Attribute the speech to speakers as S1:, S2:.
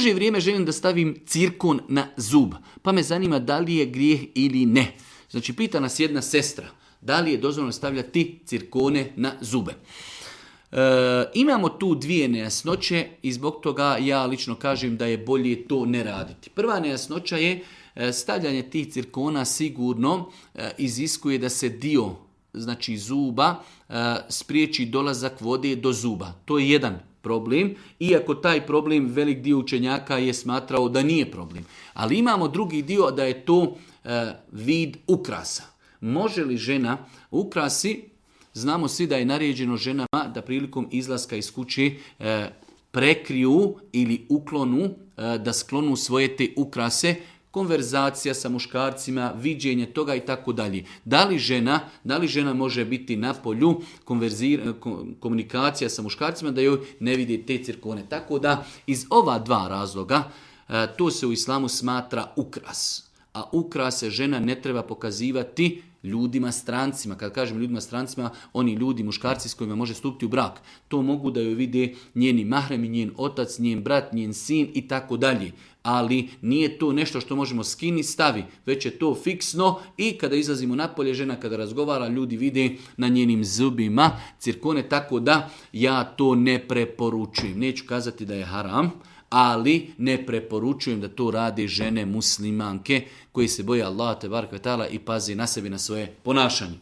S1: duže vrijeme želim da stavim cirkon na zub, pa me zanima da li je grijeh ili ne. Znači, pita nas jedna sestra, da li je dozvoljeno stavljati cirkone na zube. Imamo tu dvije nejasnoće i zbog toga ja lično kažem da je bolje to ne raditi. Prva nejasnoća je stavljanje tih cirkona sigurno iziskuje da se dio, znači zuba, spriječi dolazak vode do zuba. To je jedan problem, iako taj problem velik dio učenjaka je smatrao da nije problem. Ali imamo drugi dio da je to vid ukrasa. Može li žena ukrasi? Znamo svi da je naređeno ženama da prilikom izlaska iz kuće prekriju ili uklonu, da sklonu svoje te ukrase, konverzacija sa muškarcima, viđenje toga i tako dalje. Da li žena može biti na polju komunikacija sa muškarcima da joj ne vidi te cirkone. Tako da iz ova dva razloga to se u islamu smatra ukras. A ukrase žena ne treba pokazivati ljudima strancima. Kad kažem ljudima strancima, oni ljudi, muškarci s kojima može stupiti u brak. To mogu da joj vide njeni mahremi, njen otac, njen brat, njen sin i tako dalje. Ali nije to nešto što možemo skini stavi, već je to fiksno i kada izlazimo napolje, žena kada razgovara, ljudi vide na njenim zubima cirkone, tako da ja to ne preporučujem. Neću kazati da je haram, ali ne preporučujem da to rade žene muslimanke koji se boje Allaha te barek ve taala i pazi na sebi, na svoje ponašanje.